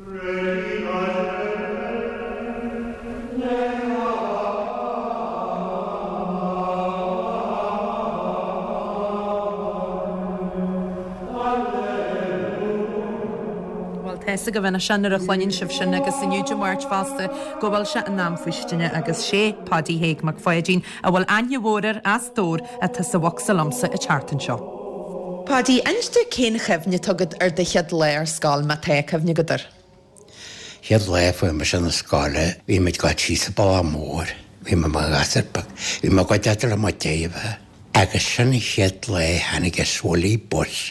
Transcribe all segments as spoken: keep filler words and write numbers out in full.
Bhuel, tá fhios agaibh anois nuair a chluineann sibh sin agus inniu Dé Máirt fosta go bhfuil sé in am faoistine agus sé Paddy Thaidhg Mac Pháidín a bhfuil aithne mhór air as Dobhar atá sa bhocsa liomsa an tseachtain seo. Paddy, inis domh cén chuimhne atá agat ar do chéad lá ar scoil má tá cuimhne agat air. Chéad lá fuair mise na scoile, bhí muid ag dul síos an bealach mór, bhí mé mar ghasúr beag, bhí mé ag dul le mo dheartháir agus sin an chéad lá tháinig an swilly bus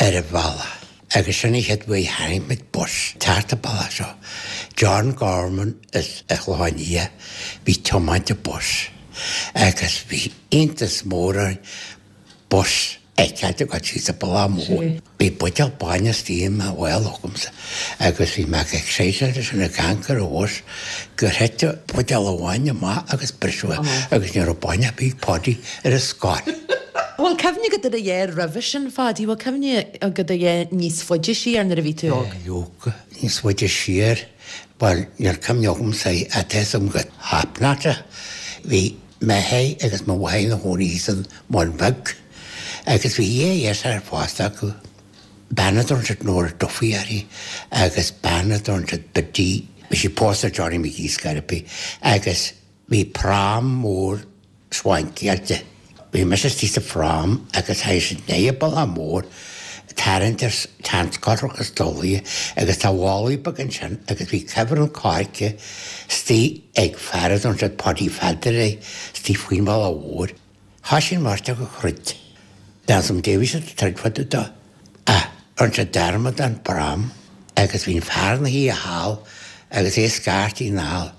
ar an bhealach. Agus sin an chéad uair tháinig muid bus thart an bealach seo. John Gorman as an Chlochán Liath bhí tiomáint an bus agus bhí iontas mór orainn bus a fheiceáil ag dul síos an bealach mór. Bhí buidéal bainne istigh i mo mhála agamsa agus bhí mé ag excited leis an ag amharc ar an bhus gur thit buidéal amháin amach agus briseadh é agus ní raibh bainne ar bith ag Paddy ar an scoil. Bhfuil cuimhne agat ar a dhath roimhe sin Phaddy, bhfuil cuimhne agat ar a dhath níos faide siar nuair a bhí tú óg? Leoga níos faide siar, bhuel níl cuimhne agamsa ach tá fhios agam go hapnata. Bhí m'athair agus mo mháthair ina chónaí san mBun Beag agus bhí dhá dheartháir pósta acu. Bean a dtugann siad Nora Duffy uirthi agus bean a dtugann siad Biddy, bhí sí pósta Johnny McGee Scarpy agus bhí pram mór swankiáilte. Bhí mise istigh sa phram agus théis siad i ndiaidh an bealach mór tarraingt ar seanscothach is dolaí agus tá mhálaí beag ansin agus bhí cuibhreann coirce istigh ag fear a dtugann siad Paddy Pheadair é istigh faoin bhealach mhór. Thoisigh an bheirt acu ag troid. D'fhan Davies at troid fada dó. Ach rinne siad dearmad den bpram agus bhí an fear ina shuí thall agus é ag scairtigh anall.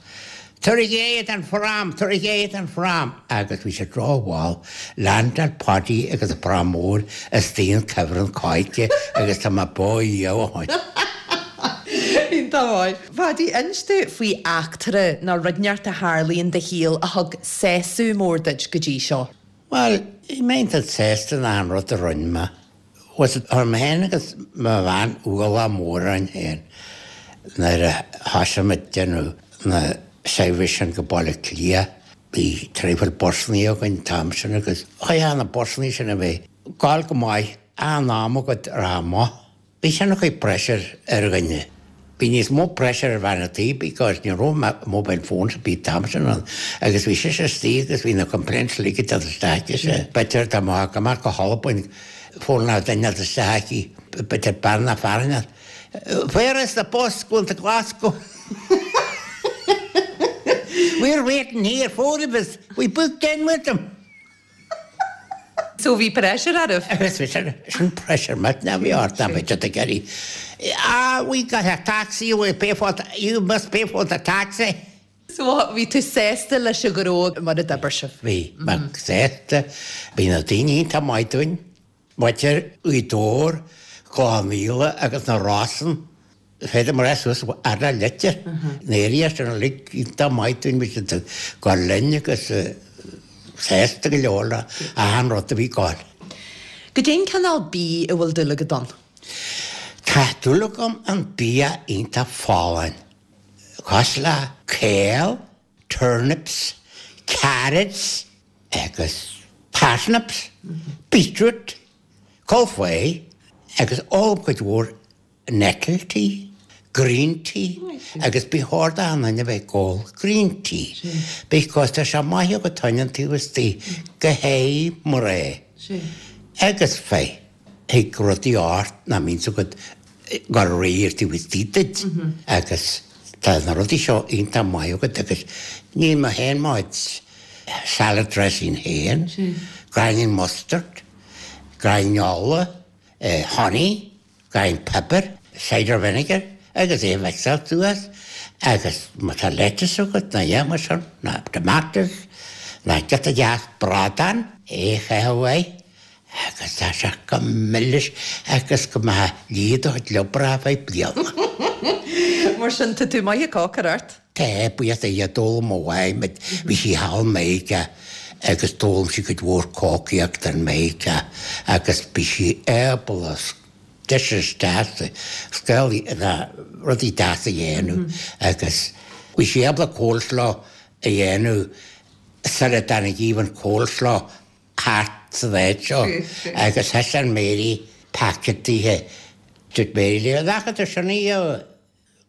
Tabhair géire don phram, tabhair géire don phram agus bhí siad rómhall, leaindeáil Paddy agus an pram mór istigh in cuibhreann coirce agus tá mé beo ó shin. Iontach maith. Phaddy, inis domh faoi eachtra nó rud inteacht a tharla in do shaol a thug sásamh mór duit go dtí seo. Bhuel, bhí mé iontach sásta in achan rud a rinne mé. Was it chuir mé féin agus mo bhean ualach mór orainn féin nuair a thosaigh muid déanamh na seirbhís sin go Baile Átha Cliath. Bhí traidhfil busanna againn an t-am sin agus chaithfeá na busanna sin a bheith ag gabháil go maith achan am agat ar amach. Bhí sin a chuid pressure ar dhuine. Bhí níos mó pressure ar bhean an tí because ní raibh mobile phones ar bith an t-am sin ann agus bhí sise istigh agus bhí na complaints uilig ag dul isteach aici. B'fhéidir dá mbeadh amach go hAlbain phone ná duine isteach aici, b'fhéidir bean ná fear Where is the bus going to Glasgow? We're waiting here, four of us. We booked in with them. So bhí pressure oraibh? Agus bhí sin sin pressure met na bhí ort na bhí siad ag iarraidh. Ah, we got a taxi, we pay for the, you must pay for the taxi. So bhí tú sásta leis an ghnó mar a d'oibir sibh? Bhí mé sásta, bhí na daoine iontach maith dúinn. Muintir Ghaoth Dobhair, Cloich Cheann Fhaola agus na Rosann. Féidir mar suas ar a litir. Na area sin uilig iontach maith dúinn, bhí siad ag gabháil linn agus sásta go leor le achan rud a bhí ag gabháil. Goidé an cineál bídh a bhfuil dúil agat ann? Tá dúil agam an bia iontach folláin. Cosúil le kale, turnips, carrots agus parsnips, beetroot, cauliflower agus ólaim cuid mhór nettle tea, green tea agus ba chóir d'achan duine a bheith ag ól green tea because tá sé maith agat toin an taobh istigh go háirithe mná agus fir thig rudaí ort nach mbíonn agat go réidh ar taobh istigh duit agus tá na rudaí seo iontach maith agat agus níl mé féin mo chuid salad dressing féin, gráinnín mustard, gráinnín ola, honey, gráinnín pepper, cider vinegar agus é a mhixáil suas agus má tá lettuce agat ná dhéan mar sin, ná tomatoes, ná giota deas bradán, é a chaitheamh air agus tá sé go milis agus go mbeadh liath do chuid liobarach ar feadh bliana. Mar sin tá tú maith ag cócaireacht? Tá, buíochas le Dia, d'fhoghlaim mo mháthair muid, bhí sí thall i Meiriceá agus d'fhoghlaim sí cuid mhór cócaíocht in Meiriceá agus bhí sí ábalta dishes deasa, scéalaí na rudaí deasa a dhéanamh agus bhí sí ábalta coleslaw a dhéanamh sula dtáinig even coleslaw thart sa bhád seo agus thaispeáin Mary packet dithe. Dúirt Mary léi, "Nach tú sin í a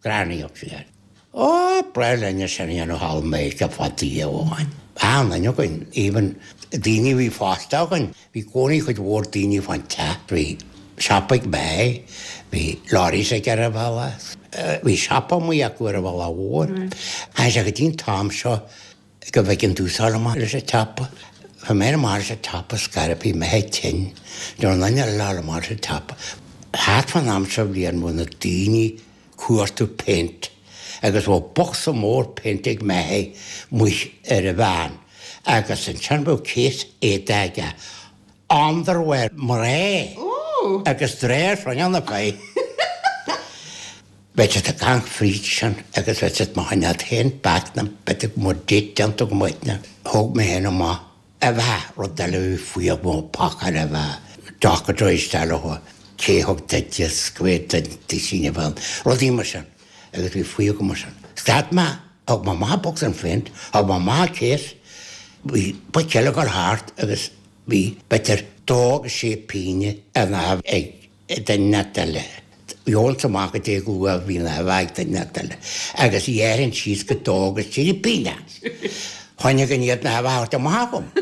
ghreannaíocht sí air." Ó, breá linne sin a dhéanamh thall i Meiriceá fad oíche amháin. An-duine againn, even daoine a bhí fásta againn, bhí cónaí cuid mhór daoine fán teach, bhí siopa ag May, bhí lorries aige ar an bhealach, bhí siopa amuigh acu ar an bhealach mhór. Tháinig sé go dtí an t-am seo go bhfeiceann tú sáil amach leis an tsiopa. Bhí mé amach leis an tsiopa scairp, bhí mé tinn, nuair an duine eile amach leis an tsiopa. Thart fán am seo bhliain bhí na daoine cuartú péint agus bhí bocsa mór péint ag May amuigh ar an veain agus ansin bheadh case éadaí aige, underwear mná agus dréir rinne na fé. Bheadh siad ag caint fríd sin agus bheadh siad mo choinneáil féin back na b'fhéidir go mbeadh date déanta go maith. Thóg mé féin amach a bheith rud eile a bhí faoi mo phacáil a bheith deacair isteach leo cé thug duit is go bhféadfainn duit a bheith rudaí mar sin agus bhí faoi go mar sin. Stad mé, thug mé amach bocsa an phéint, thug mé amach case, bhí boic eile ag dul thart agus bhí b'fhéidir dó agus sé pingine ar na ag duine eile. Gheobhainnse amach go dté go luath bhí na ag duine eile agus dhéarfainn síos go dó agus trí pingine. Choinnigh an iad na bheith amach agam.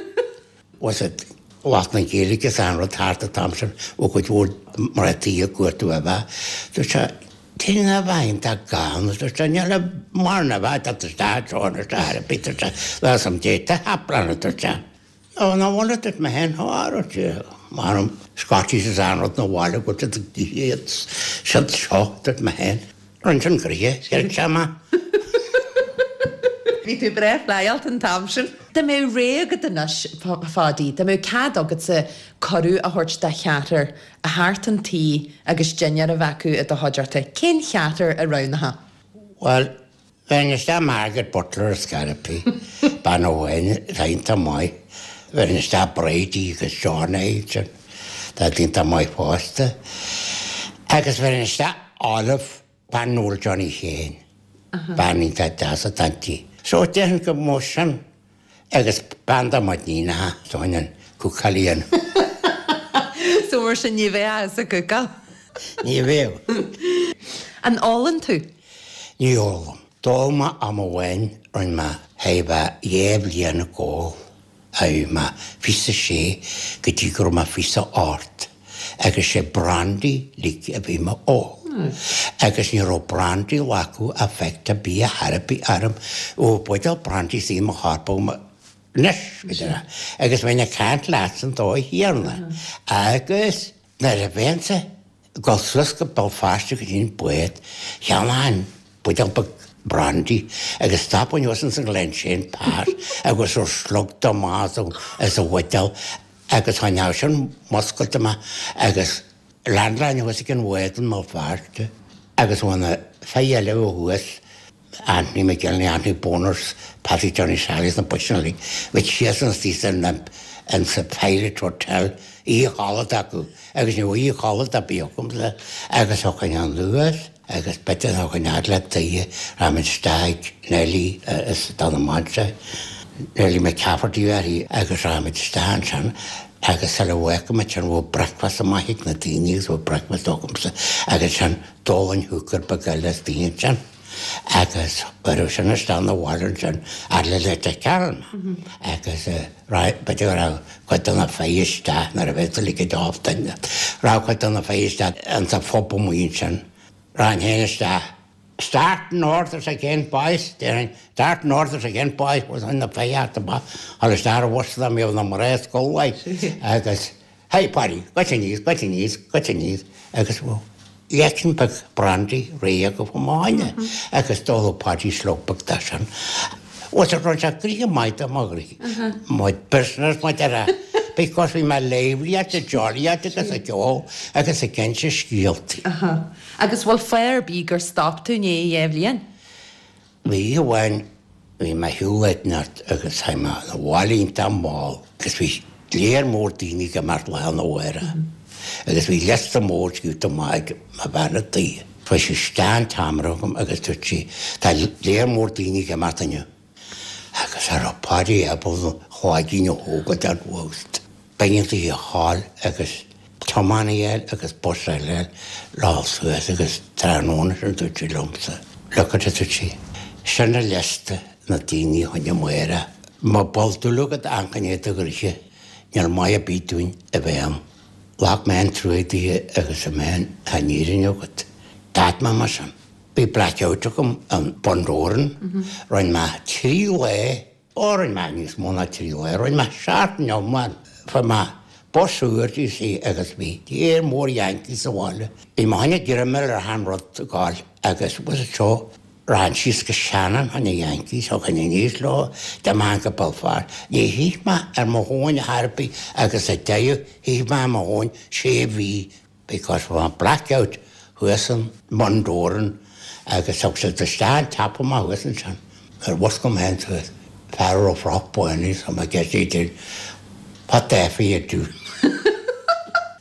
Was it lucht na Gaeilge is an rud thart an t-am sin ó chuid mhór mar tí ag cuartú a bheith. Dúirt sé, Téann a bheith iontach gann, dúirt sé, níl mar na bheith tá isteach seo an isteach ar bith, dúirt sé, there's some data happening, dúirt sé. Ó, ná bhfuil dúirt mé féin, ó, dúirt sé, maram Scotties is an rud na bhaile go dtí iad siad seo, dúirt mé féin. Rinne sin gnoithe, dúirt sé mé. Bhí tú breá playáilte an t-am sin. Dá mbeadh rogha agat anois, Pháidí, dá mbeadh cead agatsa cuireadh a thabhairt do cheathrar a theacht chun tí agus dinnéar a bheith acu i do chuideachta, cén cheathrar a roghnófá? Well, bheinn isteach Margaret Butler a Scarpy, bean amháin atá iontach maith, bheinn isteach Brady agus John sin, tá iontach maith fosta. Agus bheinn isteach Olive, bean Noel Johnny Shane, bean iontach deas atá inti. So déarfainn go mó sin agus bean dá mbeadh níonacha, so an cúcáil a dhéanamh. So mar sin ní bheadh sa gcúcáil? Ní bheadh. An ólann tú? Ní ólaim. D'ól mé am amháin rinne mé thar bheith dhá bhliain ag ól. Bhí mé fiche a sé go dtí go raibh mé fiche a ocht agus sé brandy like a bhí mé ól. Agus ní raibh brandy acu effect ar bith ar bith orm. Ó buidéal brandy sí mo chorp anois b'fhéidir. Agus bheinn ag caint leat san dóigh chéanna. Agus nuair a bheinnse ag dul suas go Béal Feirste go dtí an bád, cheannóinn buidéal beag brandy agus stopfainn thuas ins an Glenshane Pass agus raibh slog de amach as an bhuidéal agus choinneodh sin muscailte mé agus landline thuas ag an bhád i mBéal Feirste agus bhí na fir eile ó thuas Anthony McGinley, Anthony Boners, Paddy Johnny Sallys na boys uilig, bhí síos an istigh in in sa Pirate Hotel oíche chodlata acu agus ní raibh oíche chodlata ar bith agamsa agus thiocfainn anuas agus b'fhéidir thiocfainn fhad le tuighe raibh isteach Nelly is dá mailte Nelly McCafferty uirthi agus raibh isteach ansin agus sula bhfágfaimid sin bhí breakfast amach ag na daoine agus bhí breakfast agamsa agus sin d'ólainn hooker beag eile istigh ansin agus chuireadh sin isteach na bhaile ansin fhad le Leitir Ceanainn agus b'fhéidir go raibh cuid de na fir isteach nuair a bheadh tú ag off duine raibh cuid de na fir isteach insa phub amuigh ansin raibh féin isteach Start north again boys déarfainn start north again boys was an na fir amach agus isteach ar bhus dá mbeadh na mná scoil agus hey Paddy goit aníos goit aníos goit aníos agus leacan beag brandy réidh acu chomh maith agus d'óladh Paddy slog beag de sin. Was it run sé gnoithe maith do mo ghnoithe my business mar a déarfá because bhí mé lively at jolly at agus ag ceol agus ag inse scéaltaí. Agus bhfuil fáth ar bith gur stop tú i ndiaidh dhá bhliain? Bhí amháin bhí mé shiúl neart agus tháinig mé na bhaile iontach mall agus bhí léar mór daoine ag imeacht lá na mháire. Agus bhí liosta mór scríofa amach ag mo bhean a' tí. Chuaigh sí isteach an tseomra agam agus dúirt sí, tá léar mór daoine ag imeacht inniu. Agus cha raibh Páidí ábalta a chloigeann a thógáil den bhost. B'éigean di a ghabháil agus tiománaí a fháil agus bus eile a fháil le dhul suas agus tráthnóna sin dúirt sí liomsa, Look at it, dúirt sí, sin an liosta na daoine choinne amárach. Má bhfuil dúil agat amharc i do ghnoithe, níl maith ar bith dúinn a bheith ann. Ghlac mé an trua di agus a mé tá an fhírinne agat. D'fhág mé mar sin. Bhí blackout agam an Bundoran, rinne mé trí lá, ó rinne mé níos mó ná trí lá, rinne mé seachtain iomlán. Fuair mé bus úr you see agus bhí léar mór Yankees sa bhaile. Bhí mé choinne dreimeáil ar achan rud ag gabháil agus was it seo rachainn síos go Shannon choinne Yankees, thiocfainn aníos leo, d'imigh go Belfast. Ní thit mé ar mo thóin ar chor ar bith agus sa deireadh thit mé ar mo thóin sé mhí because bhí mé blackout thuas in Bundoran agus thug siad isteach an teampall amach thuas ansin. Ar mhuscail mé féin suas, fear a raibh frock bán air, so mé ag iarraidh What the F are you doing?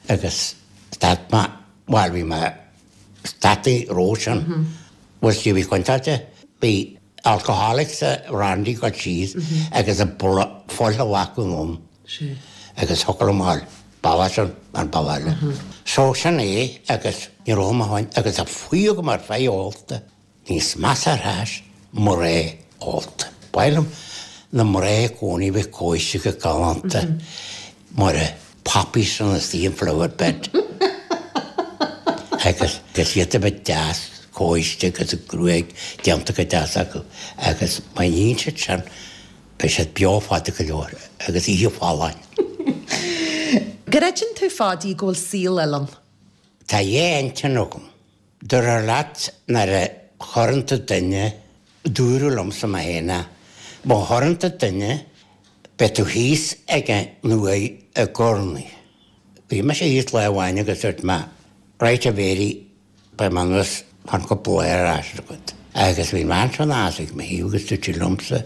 Agus stad mé, bhuel bhí mé stadtaí ró sin. Was bhí contráilte, bhí alcoholics a randy go síos agus a fuil a bhacadh ann agus thiocfadh liom a ghabháil bealach sin an bealach eile. So sin é agus ní raibh mé féin agus a fuí agam ar feadh ólta níos measa ar ais mná ólta. Ba mhaith liom na mná i gcónaí bheith cóiste go galánta mar a poppies on the flower bed. Agus agus iad a bheith deas cóiste agus a gruaig déanta go deas acu agus má níonn siad sin beidh siad beo fada go leor agus oíche folláin. Greideann tú Pháidí go bhfuil saol eile ann? Tá dhá intinn agam. Dúradh leat nuair a chuireann tú duine, dúradh liomsa mé féin é, má chuireann tú duine, beidh tú thíos ag an uaigh i gcónaí. Bhí mise thíos lá amháin agus dúirt mé, right a Mhéirí, beidh mé anuas chun cúpla lá ar ais agat. Agus bhí an bhean seo aneas ag mo thaobh agus dúirt sí liomsa,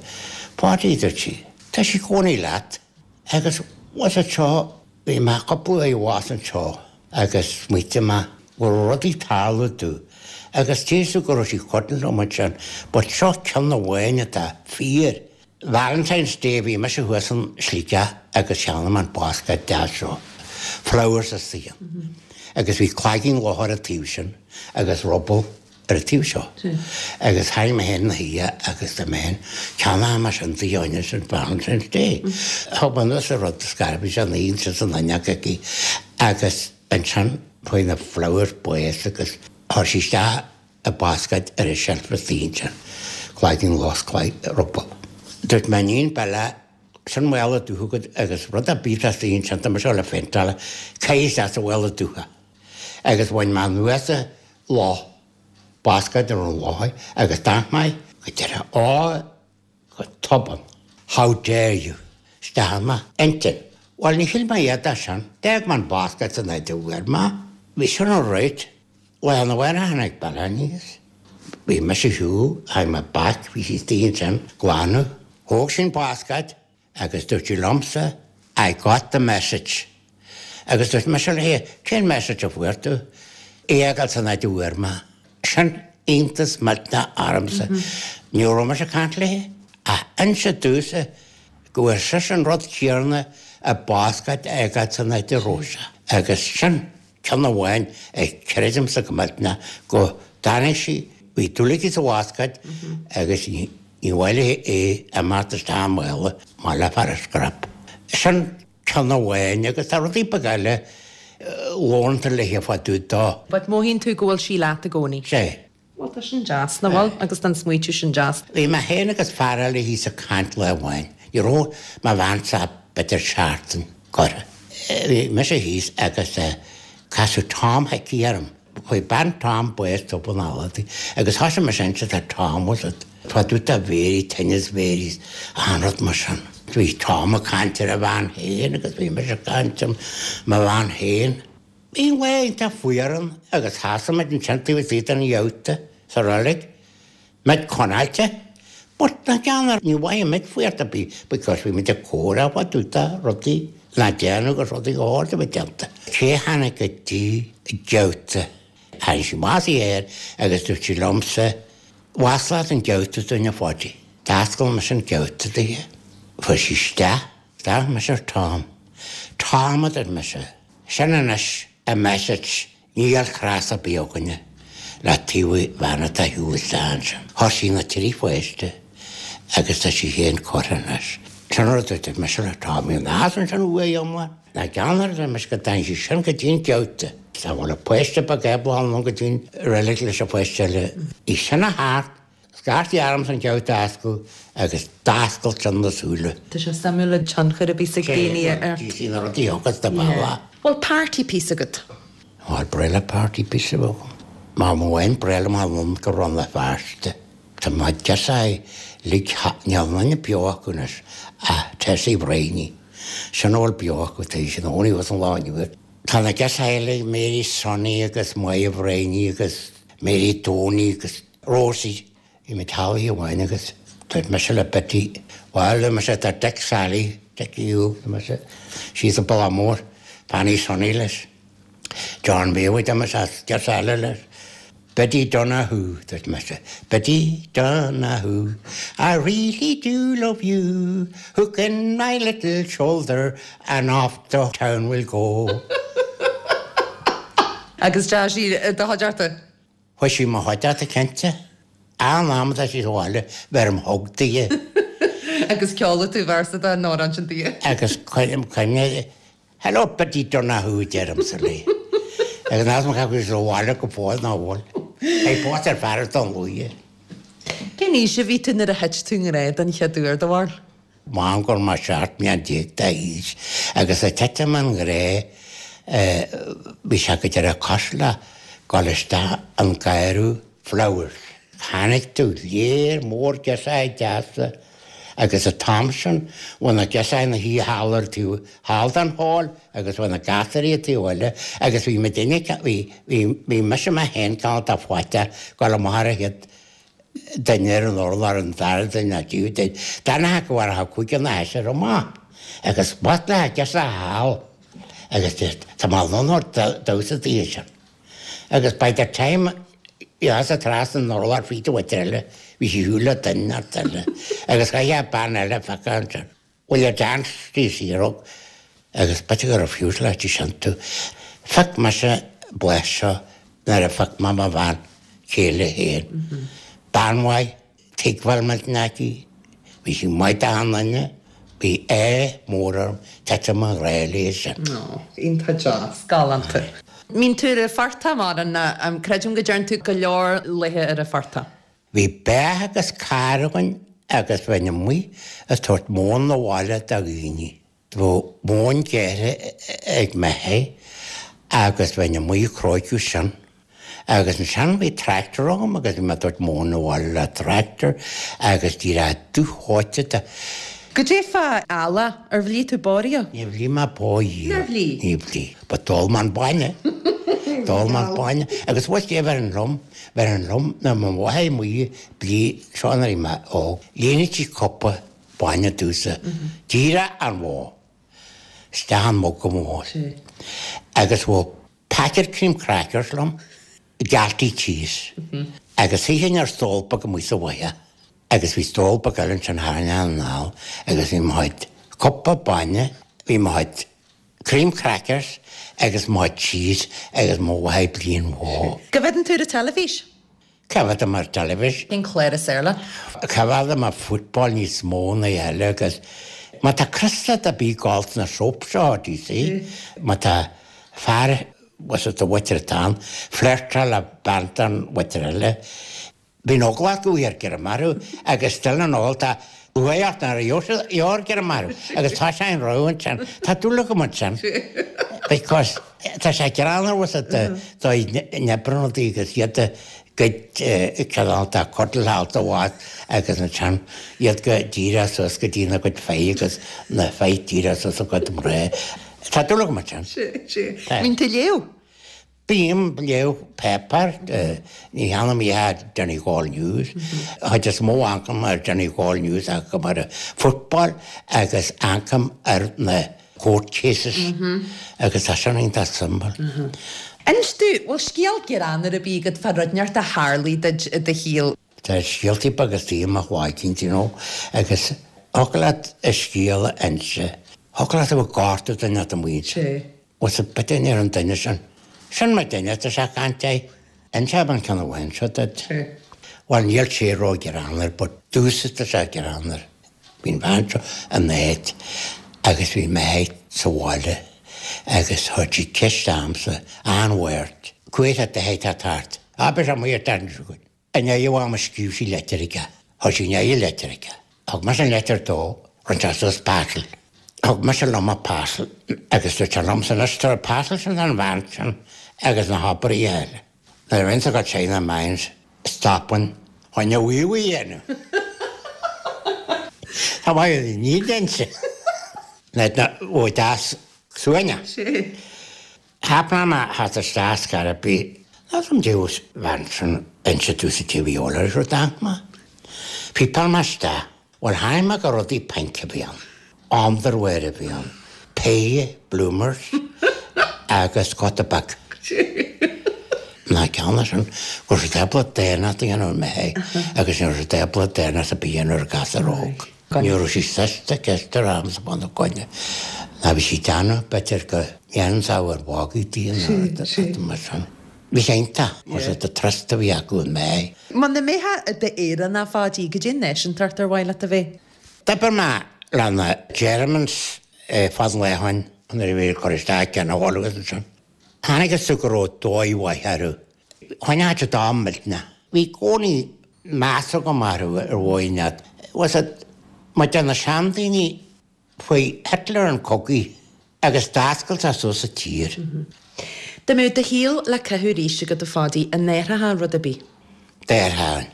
Páidí, dúirt sí, tá sí i gcónaí leat. Agus was it seo, bhí mé cúpla uair abhus anseo agus smaoitigh mé go raibh rudaí ag tarlú domh agus deir tú go raibh sí cothrom liom ansin, but seo ceann amháin atá fíor. Valentine's Day bhí mise thuas in Sligeach agus cheannaigh mé an basket deas seo, flowers istigh ann. Agus bhí cloigeann luch ar an taobh sin agus ruball ar an taobh seo. Agus tháinig mé féin na hoíche agus dúirt mé féin, ceannóidh mé sin di fháinne sin Valentine's Day. Thug mé anuas an rud scair, bhí sé ina shuí ansin san fhuinneog aici agus ansin chuaigh na flowers bás agus chuir sí isteach i basket ar an shelf istigh ansin, cloigeann luch ruball. Dúirt m'iníon Bella, sin mála dubh agat agus rud ar bith atá istigh ansin, tá mise le fainteáil, caith isteach sa mhála dubh é. Agus bhain mé anuas an luch, basket ar an luch agus d'amharc mé go deireadh, á, go tobann, how dare you, isteach i m'intinn. Bhuel, ní shíl mé iad as sin, d'fhág mé an basket san áit a bhfuair mé. Bhí sin all right. Lá arna mhárach tháinig Bella aníos. Bhí mise ar shiúl, tháinig mé back, bhí sí istigh ansin, glanadh. Thóg sí an basket agus dúirt sí liomsa, I got the message. Agus dúirt mise léi, cén message a fuair tú? É a fhágáil san áit a bhfuair mé. Sin iontas millteanach ormsa. Ní raibh mise ag caint léi, ach inse domhsa go bhfuair sise an rud céanna a basket a fhágáil san áit a raibh sé. Agus sin ceann amháin a chreidimse go millteanach go dtáinig sí, bhí dúil aici sa bhasket agus ní mhaith léi é imeacht isteach i mála mar le fear a scrap. Sin ceann amháin agus tá rudaí beaga eile labhrann tú léi fá dtaobh dó. But mothaíonn tú go bhfuil sí leat i gcónaí? Sea. Bhuel tá sin deas, nach bhfuil? Agus tá an smaoitiú sin deas. Bhí mé féin agus fear eile thíos ag caint lá amháin. Ní raibh mo bhean-sa b'fhéidir seachtain curtha. Bhí mise thíos agus casadh Tom Hickey orm. Chuaigh bean Tom bás tobann aladaí agus thosaigh mise ag inse do Tom was it fá dtaobh de Mhéirí, tinneas Mhéirí, achan rud mar sin. Bhí Tom ag caint ar a bhean féin agus bhí mise ag caint ar mo bhean féin. Bhí an lá iontach fuar ann agus sheasaigh muid ansin taobh istigh den gheabhta sa reilig, muid conáilte. But na ceann ní mhothaigh muid fuar ar bith because bhí muid ag comhrá fá dtaobh de rudaí Ná déanamh agus rudaí go háirithe a bheith déanta. Cé tháinig go dtí geabhta? Tháinig sí amach air agus dúirt sí liomsa, Mhasla an geabhta dúinn a Pháidí. D'oscail mise an geabhta di. Fuair sí isteach. D'amharc mise ar Tom. Tom, a dúirt mise, sin anois an message, níl cras ar bith againne le taobh bhean atá ar shiúl isteach ansin. Chuir sí na trí pháiste agus tá sí féin curtha anois. Sin rud a dúirt mise le Tom, bhí an as ansin uaidh iomlán. Ná ceann ar dúirt mise go dtáinig sí sin go dtí an geabhta. Tá bhfuil a páiste beag ábalta go dtí an reilig leis an pháiste eile. Í sin a thart, scairtí arm san geabhta a oscailt agus d'oscail sin na súile. Tá sé suimiúil an tionchar a bhí ag daoine ort. Bhí na rudaí agus de bhealach. Bhfuil party piece agat? Bhuel, breá le party piece a bheith agam. Má bhain breá liom a lom go Rann na Feirste. Tá má deasá lig níl duine beo acu anois ach Tessie Bhraoine. Sin a bhfuil beo acu tá sin óní was an lá inniu. Tá na deasá eile Mary Sonny agus Maeve Bhraoine agus Mary Tony agus Rosie. Bhí mé teaghlaigh amháin agus dúirt mise le Betty, bhuel mise tá Dick Sally, Dickie Ú, mise síos an Baile Mór, Fanny Sonny leis. John Baywood mise as deas eile leis. Betty Donahue, dúirt mise. Betty Donahue, I really do love you. Hook in my little shoulder and off to town we'll go. Agus deá sí do chuideachta? Chuaigh sí mo chuideachta cinnte. An am atá sí sa bhaile bheirim hug di. Agus ceoladh tú véarsa den amhrán sin di. Agus cuirim cuimhne, Hello Betty Donahue, deirimse léi. Agus ná mar chu sa bhaile go fóill ná bhfuil. É pósta ar fear don luaithe. Cén aois a bhí tú nuair a thit tú i ngrá den chéad uair do bharúil? Mám gur mar seacht mbliana déag d'aois agus a titim i ngrá bhí sé go deireadh cosúil le dul isteach an garraí flowers. Tháinig tú léir mór girseachaí deasa agus an t-am sin bhí na girseachaí ina shuí thall ar taobh thall den hall agus bhí na gasúirí ar taobh eile agus bhí mé duine bhí bhí bhí mise mé féin cineál de faighte dul amach ar an chéad duine ar an urlár an dara duine ná tríú duine. D'fhanfadh go bhfuair cúigear nó seisear amach agus b'ait le girseach thall agus tá mé lon damhsa daoine sin. Agus by the time sa trasna an urlár fríd an mhuintir eile bhí sí siúl le duine ort eile agus chaith bean eile feicthe ansin. Will you dance tí siarog agus b'fhéidir go raibh fiús le tí sin tú. Phioc mise bless seo nuair a phioc mé mo bhean chéile féin. Bean mhaith, tuigbheáil millteanach aici, bhí sí maith d'achan duine, bhí ádh mór orm titim i ngrá léi sin. Ó, iontach deas, galánta. Mbíonn tú ar an phortach mar an creidim go dtearn tú go leor laetha ar an phortach. Bhí beach agus carr againn agus bheinn amuigh ag tabhairt móin abhaile do dhaoine. Bheadh móin gearrtha ag m'athair agus bheinn amuigh ag cróiceadh sin. Agus ansin bhí tractor agam agus bhí mé ag tabhairt móin abhaile le tractor agus díreach dúsháite de. Goidé fá eallach ar bhligh tú bó riamh? Ní bhligh mé bó riamh. Nár bhligh? Ní bhligh. Ba d'ól mé an bainne. D'ól mé an bainne. Agus bhuel é bheith an liom, bheith an liom na mo mháthair amuigh bhligh seo nuair a bhí mé óg. Líonadh sí cupa bainne domhsa. Díreach an bhó. Isteach an mug go mór. Agus bhí packet cream crackers liom, Galtee cheese. Agus shuífinn ar stól beag amuigh sa bhaile. Agus bhí stól beag eile ansin thar an anall agus bhí mo chuid cupa bainne, bhí mo chuid cream crackers agus mo chuid cheese agus mo mháthair bliain bhó. Coimhéadann tú ar an teilifís? Coimhéadaim ar teilifís. Cén clár is fearr leat? Coimhéadaim ar football níos mó ná eile agus má tá criostal ar bith ag gabháil sna soap seo, do you see? Má tá fear was it the mhuintir atá ann, flirtáil le bean den mhuintir eile. Bíonn eagla acu ar Ghearr agus still an ól tá uaidh ort ar Ghearr agus tá sé an rogha ansin. Tá dúil agam ansin. Because tá sé greannmhar was it do n-oibreanna agus iad go cineál tá cuddle mhaith agus ansin iad go díreach suas go dtí na gcuid fear agus na fear díreach suas a gcuid mná. Tá dúil agam ansin. Sé, sé. Mbíonn tú ag léamh? Bím ag léamh páipéar, ní cheannaím iad Donegal News. Chuid is mó amharcaim ar Donegal News amharcaim ar football agus amharcaim ar na court cases agus tá sin iontach suimiúil. Inis domh, bhfuil scéal greannmhar ar bith agat fá rud inteacht a tharlaigh duit i do shaol? Tá scéaltaí beaga istigh i mo chloigeann, you know, agus thiocfadh leat a scéal a inse. Thiocfadh leat a bheith ag gortú duine atá amuigh ansin. Sé. Bhfuil a bit ar an duine sin. Sin mar duine atá sé ag caint é. Inseoidh mé an ceann amháin seo duit. Sé. Bhuel, níl sé ró-ghreannmhar, but domhsa tá sé greannmhar. Bhí an bhean seo in áit agus bhí mé sa bhaile agus chuir sí ceist ormsa an-Mháirt. Cuaigh tú tá tart. Abair sé amuigh ar tairn chugainn. I ndiaidh am a scríobh sí leitir aige. Chuir sí i ndiaidh a leitir aige. Thug mise an leitir dó, rinne sé suas parcel. Thug mise liom an parcel agus dúirt sé liomsa anois tabhair an parcel sin don bhean sin agus na hoibrithe eile. Nuair a bhíonn go China Mines, stopann chun a wee wee a dhéanamh. Tá maith ní dense. Na ó deas suaine. Sé. Cheap mé theacht isteach scor ar bith. Ná deus bhean sin inse tú sa T V eolaire rud mé. Pípáil mé isteach. Bhuel tháinig mé go rudaí pink a bhí ann. Underwear a bhí ann. Pay bloomers agus cóta beag. Ná ceann sin go raibh siad ábalta daonnacht a dhéanamh mé agus ní raibh siad ábalta daonnacht a bith a dhéanamh ar ghasúr óg. Ní raibh sí sásta ceist ar am sa bhun coinne. Ná bhí sí déanamh b'fhéidir go ndéanann sé ar mhagadh di nó mar sin. Bhí sé iontach, was it the trust a bhí acu in mé. Muna mbeifeá i d'Éireannach a Pháidí, goidé an náisiúntacht ar mhaith leat a bheith? D'oibir mé le na Germans fad an lae ó shin nuair a bhí ag cur isteach ceann a bhaile agus ansin. Tháinig an sugar ó dóigh mhaith orthu. Choinnigh siad am millteanach. Bhí cónaí meas agam orthu ar mhaith leat. Was it mar de na seandaoine faoi Hitler an cogaí agus d'oscail sé suas sa tír. Dá mbeadh do shaol le caitheamh arís agat a Pháidí, an n-athrófá rud ar bith? D'athróinn.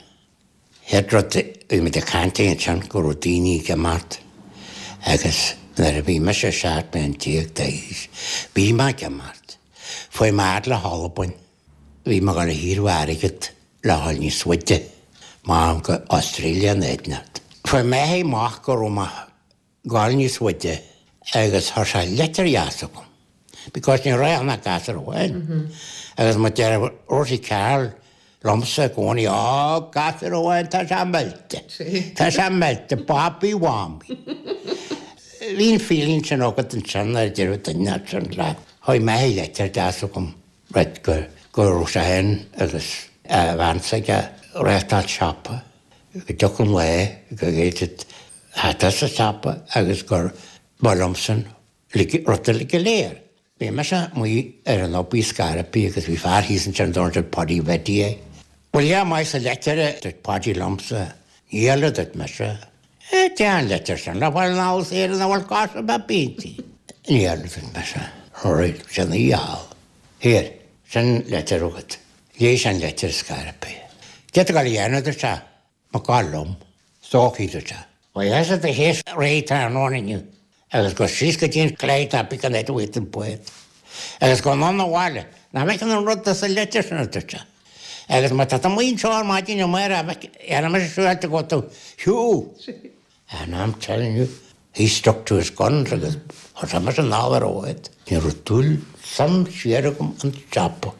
Chéad rud bhí muid ag caint ansin go raibh daoine ag imeacht agus nuair a bhí mise seacht mbliana déag d'aois, bhí mé ag imeacht. Fuair mé fhad le hAlbain. Bhí mé ag dul a hiarraidh airgead le dhul níos faide, mar go Australia an éigneacht. Fuair mé amach go raibh mé ag dul níos faide agus chuir sé leitir dheas agam. Because ní raibh ach gasúr amháin. Agus mar deir Rosie Carroll liomsa i gcónaí, Ó, gasúr amháin, tá sé millte. Tá sé millte, Bobby Wamby. Bhí an feeling sin agat ansin ar deireadh duine sin leat. Chuaigh mé leitir deas agam right, go, go raibh sé féin agus a bhean s'aige reáchtáil siopa, go dtiocfadh an lae go gcéadfad theacht as an siopa agus gur ba liomsan rud uilig go léir. Bhí mise amuigh ar an obair scairpí agus bhí fear thíos ansin dúirt siad Paddy Bheddy é. Bhuel yeah, maith sa leitir a dúirt Paddy liomsa, níl a dúirt mise. Eh, déan leitir sin le bhfuil an allas Éireann a bhfuil cás a bheith bíntí. Níl a dúirt mise. Alright, sin í fháil. Here, sin leitir agat. Léigh sin leitir scairpí. Cé tá ag dul a dhéanamh, dúirt sé. Má gabháil liom. Stócaí, dúirt sé. Bhuel, yes, a théis réidh tráthnóna inniu. Agus go síos go dtí an claí tapaidh an fhad uait an bád. Agus go anonn abhaile. Nach bhfeiceann an rud as an leitir sin, a dúirt sé. Agus má tá tú amuigh anseo ar maidin amárach, dhéanfaidh mise siúráilte go bhfuil tú shiúl. And I'm telling you, he stuck to his guns agus chuir sé mise anall ar an bhád. Ní raibh dúil sam siar agam an siopa.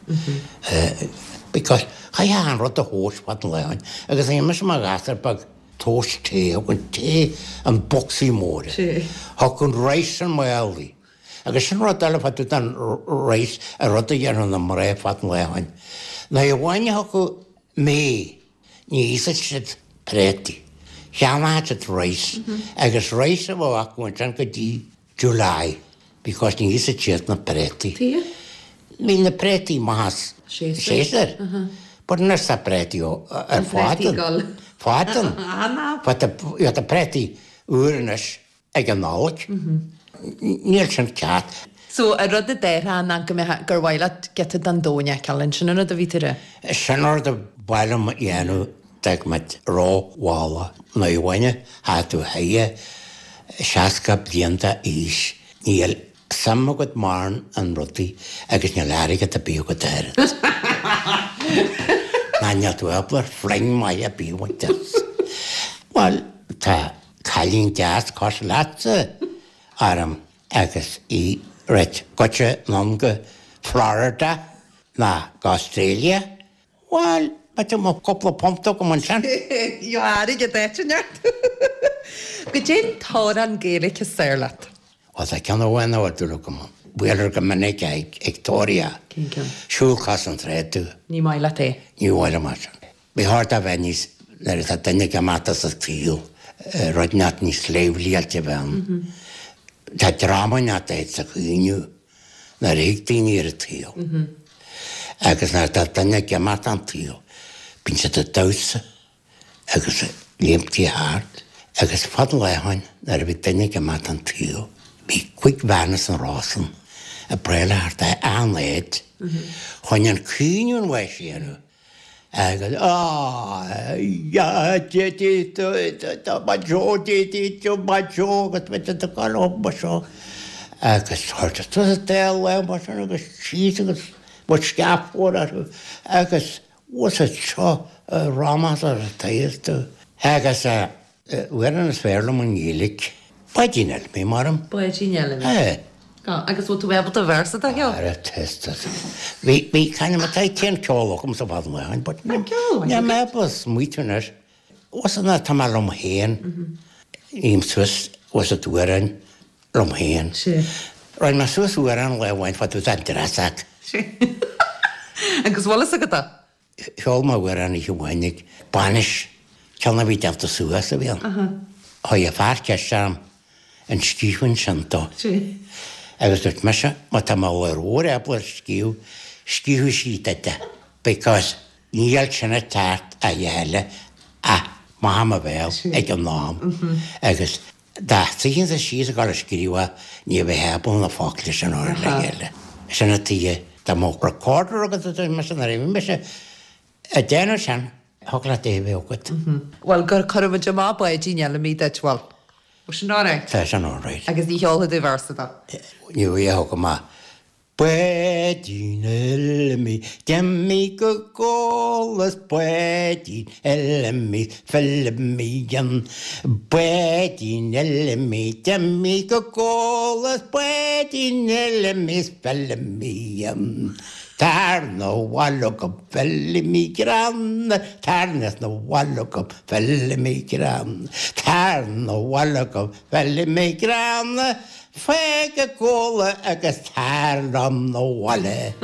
Because chaithfeá an rud a thomhas fad an lae ann. Agus bhí mise mar ghasúr beag tomhas tae, thug an tae an bocsaí mór. Thug an rice an málaí. Agus sin rud eile fá dtaobh den rice, an rud a dhéanadh na mná fad an lae ann. Nuair a bhain acu mé, ní íosfadh siad préataí. Cheannaíodh siad rice agus rice a bheadh acu ansin go dtí July because ní íosfadh siad na préataí. Tuige? Bhí na préataí maith as Séasúr. But anois tá préataí ó- ar An préataí fádan. gol. Fádan. Ah, ná. But the tá préataí úr anois ag an Nollaig. Níl sin ceart. So an rud a déarfá ná go mbeadh gur mhaith leat giota den domhan a fheiceáil ansin an rud a bhí tú a rá. Sin rud a ba mhaith liom a dhéanamh d'fhág muid rómhall nuair a bhain thá tú chuige seasca bliain d'aois níl suim agat mórán in rudaí agus níl airgead ar bith agat oiread. Ná níl tú ábalta ar phluing maith ar bith a bhaint as. Bhuel, tá cailín deas cosúil leatsa orm Agus í reit goite anonn go Florida ná go Australia. Bhuel, b'fhéidir mo cúpla punt agam ansin. Gheobhaidh airgead áit inteacht. Goidé an t-amhrán Gaeilge is fearr leat. Bhuel, tá ceann amháin a bhfuil dúil agam ann. Buailear go minic ag ag tóraíocht. Cén ceann? Siúl cois an Trá Dubh. Ní maith leat é. Ní mhaith liom é sin. Ba cheart a bheith níos, nuair atá duine ag imeacht as an tsaol, rud inteacht níos leibhéilte a bheith ann. Tá dráma inteacht é sa chaoineadh nuair a thig daoine ar an tsaol. Agus nuair atá duine ag imeacht an tsaol, bíonn siad ag damhsa agus ag léimtí thart. Agus fad lá ó shin, nuair a bhí duine ag imeacht an tsaol, bhí cúig bhean as an Rosann ag braille thart ar achan áit chun an caoineadh an bháis a dhéanamh. Agus á ya dé dé do ba seo dé dé do ba seo agus ba do go ba seo. Agus chuir suas an dá lámh mar sin agus síos agus ba sceafóir orthu agus was it seo rámas ar an taobh tú. Agus amhrán is fearr liom i nGaeilge. Báidín Fheilimí maram. Báidín Fheilimí. É. Agus bhfuil tú ábalta véarsa de a cheol? Ara test. Bhí bhí kind of tá cén ceol agam sa bhfad amháin, but ceol ní mé ábalta smaoitiú anois. Was an tá mé liom féin, ním suas was it amhrán liom féin. Sé. Rinne mé suas amhrán lá amháin fá dtaobh den dreasach. Sé. Agus bhfuil fhios agat é? Cheol mé amhrán oíche amháin ag bainis, ceann a bhí déanta suas a bhí ann. Chuir fear ceist orm an scríobhann sin dó. Sé. Agus dúirt mise, má tá mo mhór ábalta scríobh, scríobhadh sí duit é. Because níl sin ag teacht a dhéile ach maith mo bhéal ag an am. Agus dá suífinn síos ag dul a scríobh ní bheadh ábalta na focla sin a chur le chéile. Sin an tuige dá mbeadh recorder agat a dúirt mise nuair a bhí mise ag déanamh sin, thig leat é a bheith agat. Bhuel, gur cuirfidh muid amach Báidín Fheilimí duit, bhuel. Bhfuil sin alright? Tá sin alright. Agus ní cheolfaidh tú véarsa de? Ní bheadh agam ach Báidín Fheilimí, d'imigh go gol is Báidín Fheilimí, Feilimí an Báidín Fheilimí, d'imigh go gol is Báidín Fheilimí, Feilimí an Tar 'na bhaile go Feilimí gránna, tar 'na bhaile go Feilimí gránna, tar 'na bhaile go Feilimí gránna, fág an codladh agus tar liom 'na bhaile.